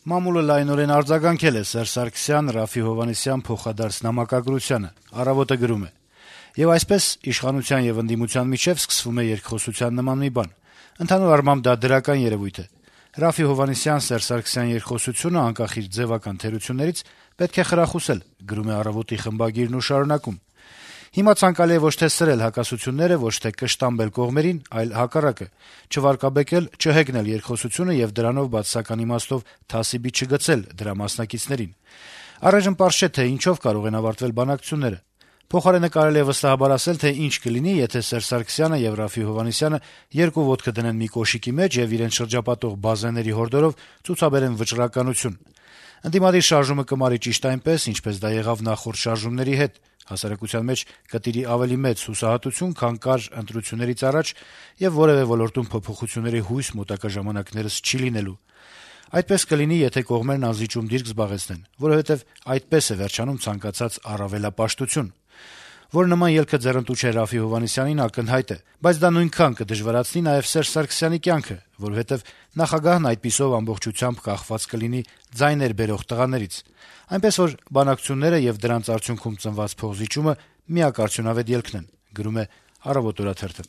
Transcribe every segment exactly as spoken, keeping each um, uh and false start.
Մամուլը լայնորեն արձագանքել է Սերժ Սարգսյան, Րաֆֆի Հովհաննիսյան փոխադարձ նամակագրությանը։ «Առավոտ»-ը գրում է. - «Եվ այսպես իշխանության եւ ընդդիմության միջեւ սկսվում է երկխոսության նման մի բան։ Ընդհանուր առմամբ դա դրական երեւույթ է։ Րաֆֆի Հովհաննիսյան-Սերժ Սարգսյան երկխոսությունը, անկախ իր ձեւական թերություններից, պետք է խրախուսել», գրում է «Առավոտ»-ի խմբագիրն ու շարունակում. - «Հիմա ցանկալի է ոչ թե սրել հակասությունները, ոչ թե կշտամբել կողմերին, այլ հակառակը՝ չվարկաբեկել, չհեգնել երկխոսությունը եւ դրանով բացասական իմաստով թասիբի չգցել դրա մասնակիցներին։ Առայժմ պարզ չէ, թե ինչով կարող են ավարտվել բանակցությունները։ Փոխարենը կարելի է վստահաբար ասել, թե ինչ կլինի, եթե Սերժ Սարգսյանը եւ Րաֆֆի Հովհաննիսյանը երկու ոտքը դնեն մի կոշիկի մեջ եւ իրենց շրջապատող բազեների հորդորով ցուցաբերեն վճռականություն։ Ընդդիմադիր շարժումը կմարի ճիշտ այնպես, ինչպես դա եղավ նախորդ շարժումների հետ։ Հասարակության մեջ կտիրի ավելի մեծ հուսահատություն, քան կար ընտրություններից առաջ, եւ որեւէ ոլորտում փոփոխությունների հույս մոտակա ժամանակներս չի լինելու։ Այդպես կլինի, եթե կողմերն անզիջում դիրք զբաղեցնեն, որովհետեւ այդպես է վերջանում ցանկացած առավելապաշտություն։ Որ նման ելքը ձեռնտու չէ Րաֆֆի Հովհաննիսյանին, ակնհայտ է, բայց դա նույնքան կդժվարացնի նաեւ Սերժ Սարգսյանի կյանքը, որովհետեւ նախագահն այդպիսով ամբողջությամբ կախված կլինի ձայներ բերող տղաներից։ Այնպես որ բանակցությունները եւ դրանց արդյունքում ծնված փոխզիջումը միակարծյունավետ ելքն են», գրում է «Առավոտ» օրաթերթը։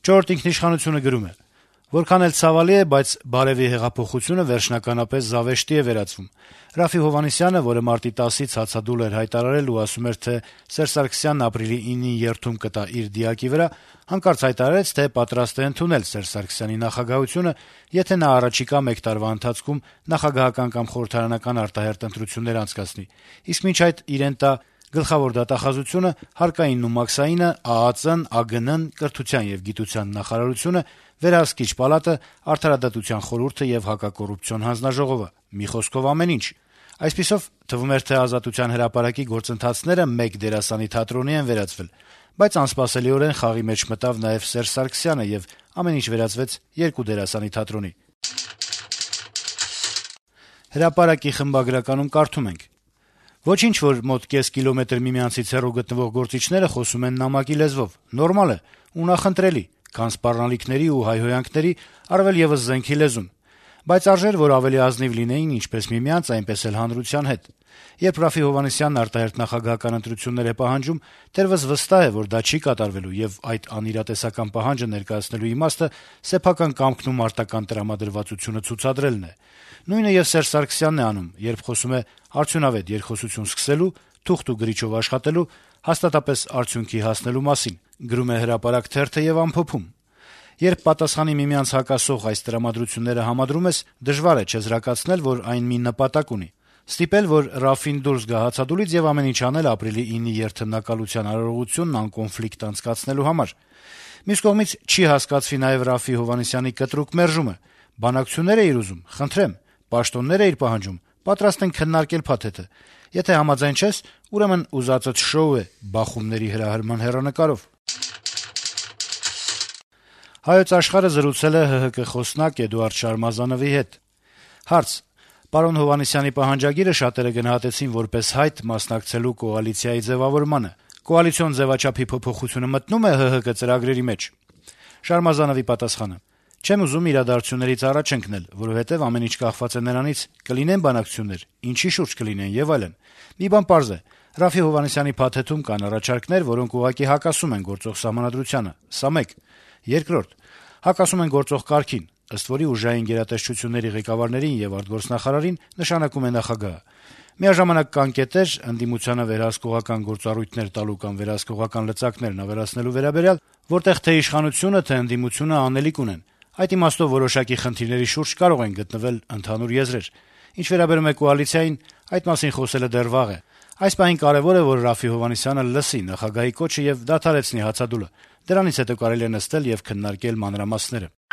«Չորրորդ ինքնիշխանություն»-ը գրում է. - «Որքան էլ ցավալի է, բայց բարեւի հեղափոխությունը վերջնականապես զավեշտի է վերածվում։ Րաֆֆի Հովհաննիսյանը, որը մարտի տասից հացադուլ էր հայտարարել ու ասում էր, թե Սերժ Սարգսյանն ապրիլի ինին երթում կտա իր դիակի վրա, հանկարծ հայտարարեց, թե պատրաստ է ընդունել Սերժ Սարգսյանի նախագահությունը, եթե նա առաջիկա մեկ տարվա ընթացքում նախագահական կամ խորհրդարանական արտահերթ ընտրություններ անցկացնի, իսկ մինչ այդ իրեն տա գլխավոր դատախազությունը, հարկային ու մաքսայինը, ԱԱԾ-ն, ԱԳՆ-ն, Կրթության եւ գիտության նախարարությունը, Վերահսկիչ պալատը, Արդարադատության խորհուրդը եւ Հակակոռուպցիոն հանձնաժողովը։ Մի խոսքով ամեն ինչ։ Այսպիսով, թվում էր, թե Ազատության հրապարակի գործընթացները մեկ դերասանի թատրոնի են վերածվել, բայց անսպասելիորեն խաղի մեջ մտավ նաեւ Սերժ Սարգսյանը եւ ամեն ինչ վերածվեց երկու դերասանի թատրոնի»։ Հրապարակի խմբագրականում կարդում ենք. - «Ոչինչ, որ մոտ կես կիլոմետր միմյանցից հեռու գտնվող գործիչները խոսում են նամակի լեզվով, նորմալ է ու նախընտրելի, քան սպառնալիքների ու հայհոյանքների, առավել եւս զենքի լեզուն, բայց արժեր, որ ավելի ազնիվ լինեին ինչպես միմյանց, այնպես էլ հանրության հետ։ Երբ Րաֆֆի Հովհաննիսյանն արտահերթ նախագահական ընտրություններ է պահանջում, թերևս վստահ է, որ դա չի կատարվելու, եւ այդ անիրատեսական պահանջը ներկայացնելու իմաստը սեփական կամքն ու մարտական տրամադրվածությունը ցուցադրելն է։ Նույնը եւ Սերժ Սարգսյանն է անում, երբ խոսում է արդյունավետ երկխոսություն սկսելու, թուղթ ու գրիչով աշխատելու, հաստատապես արդյունքի հասնելու մասին», գրում է «Հրապարակ» թերթը եւ ամփոփում. - «Երբ պատասխանի միմյանց հակասող այս տրամադրությունները համադրում ես, դժվար է չեզրակացնել, որ այն մի նպատակ ունի՝ ստիպել, որ Րաֆֆին դուրս գա հացադուլից եւ ամեն ինչ անել ապրիլի ինի երթմնակալության արարողությունն անկոնֆլիկտ անցկացնելու համար։ Մյուս կողմից չի հասկացվի նաեւ Րաֆֆի Հովհաննիսյանի կտրուկ մերժումը. բանակցություններ է իր ուզում, խնդրեմ, պաշտոններ է իր պահանջում, պատրաստ ենք քննարկել փաթեթը։ Եթե համաձայն չես, ուրեմն ուզածդ շոու է բախումների հրահրման հեռանկարով»։ «Հայոց Աշխարհ»-ը զրուցել է ՀՀԿ խոսնակ Էդուարդ Շարմազանովի հետ։ Հարց. - Պարոն Հովհաննիսյանի պահանջագիրը շատերը գնահատեցին որպես հայտ մասնակցելու կոալիցիայի ձեւավորմանը։ Կոալիցիոն ձեւաչափի փոփոխությունը մտնո՞ւմ է ՀՀԿ ծրագրերի մեջ։ Շարմազանովի պատասխանը. - Չեմ ուզում իրադարձություններից առաջ ընկնել, որովհետեւ ամեն ինչ կախված է նրանից՝ կլինեն բանակցություններ, ինչի շուրջ կլինեն եւ այլն։ Մի բան պարզ է. Րաֆֆի Հովհաննիսյանի փաթեթում կան առաջարկներ, որոնք ուղղակի հակասում են գործող սահմանադրությանը։ Սա մեկ։ Երկրորդ. հակասում են գործող կարգին, ըստ որի ուժային գերատեսչությունների ղեկավարներին եւ արտգործնախարարին նշանակում է նախագահը։ Միաժամանակ կան կետեր, ընդդիմությանը վերահսկողական գործառույթներ տալու կամ վերահսկողական լծակներն ավելացնելու վերաբերյալ, որտեղ թե իշխանությունը, թե ընդդիմությունը անելիք ունեն։ Այդ իմաստով որոշակի խնդիրների շուրջ կարող են գտնվել ընդհանուր եզրեր։ Ինչ վերաբերում է կոալիցիային, այդ մասին խոսելը դեռ վաղ է։ Այս պահին կարեւոր է, որ Րաֆֆի Հովհաննիսյանը լսի նախագահի կոչը եւ դադարեցնի հացադուլը։ Դրանից հետո կարելի է նստել եւ քննարկել մանրամասները»։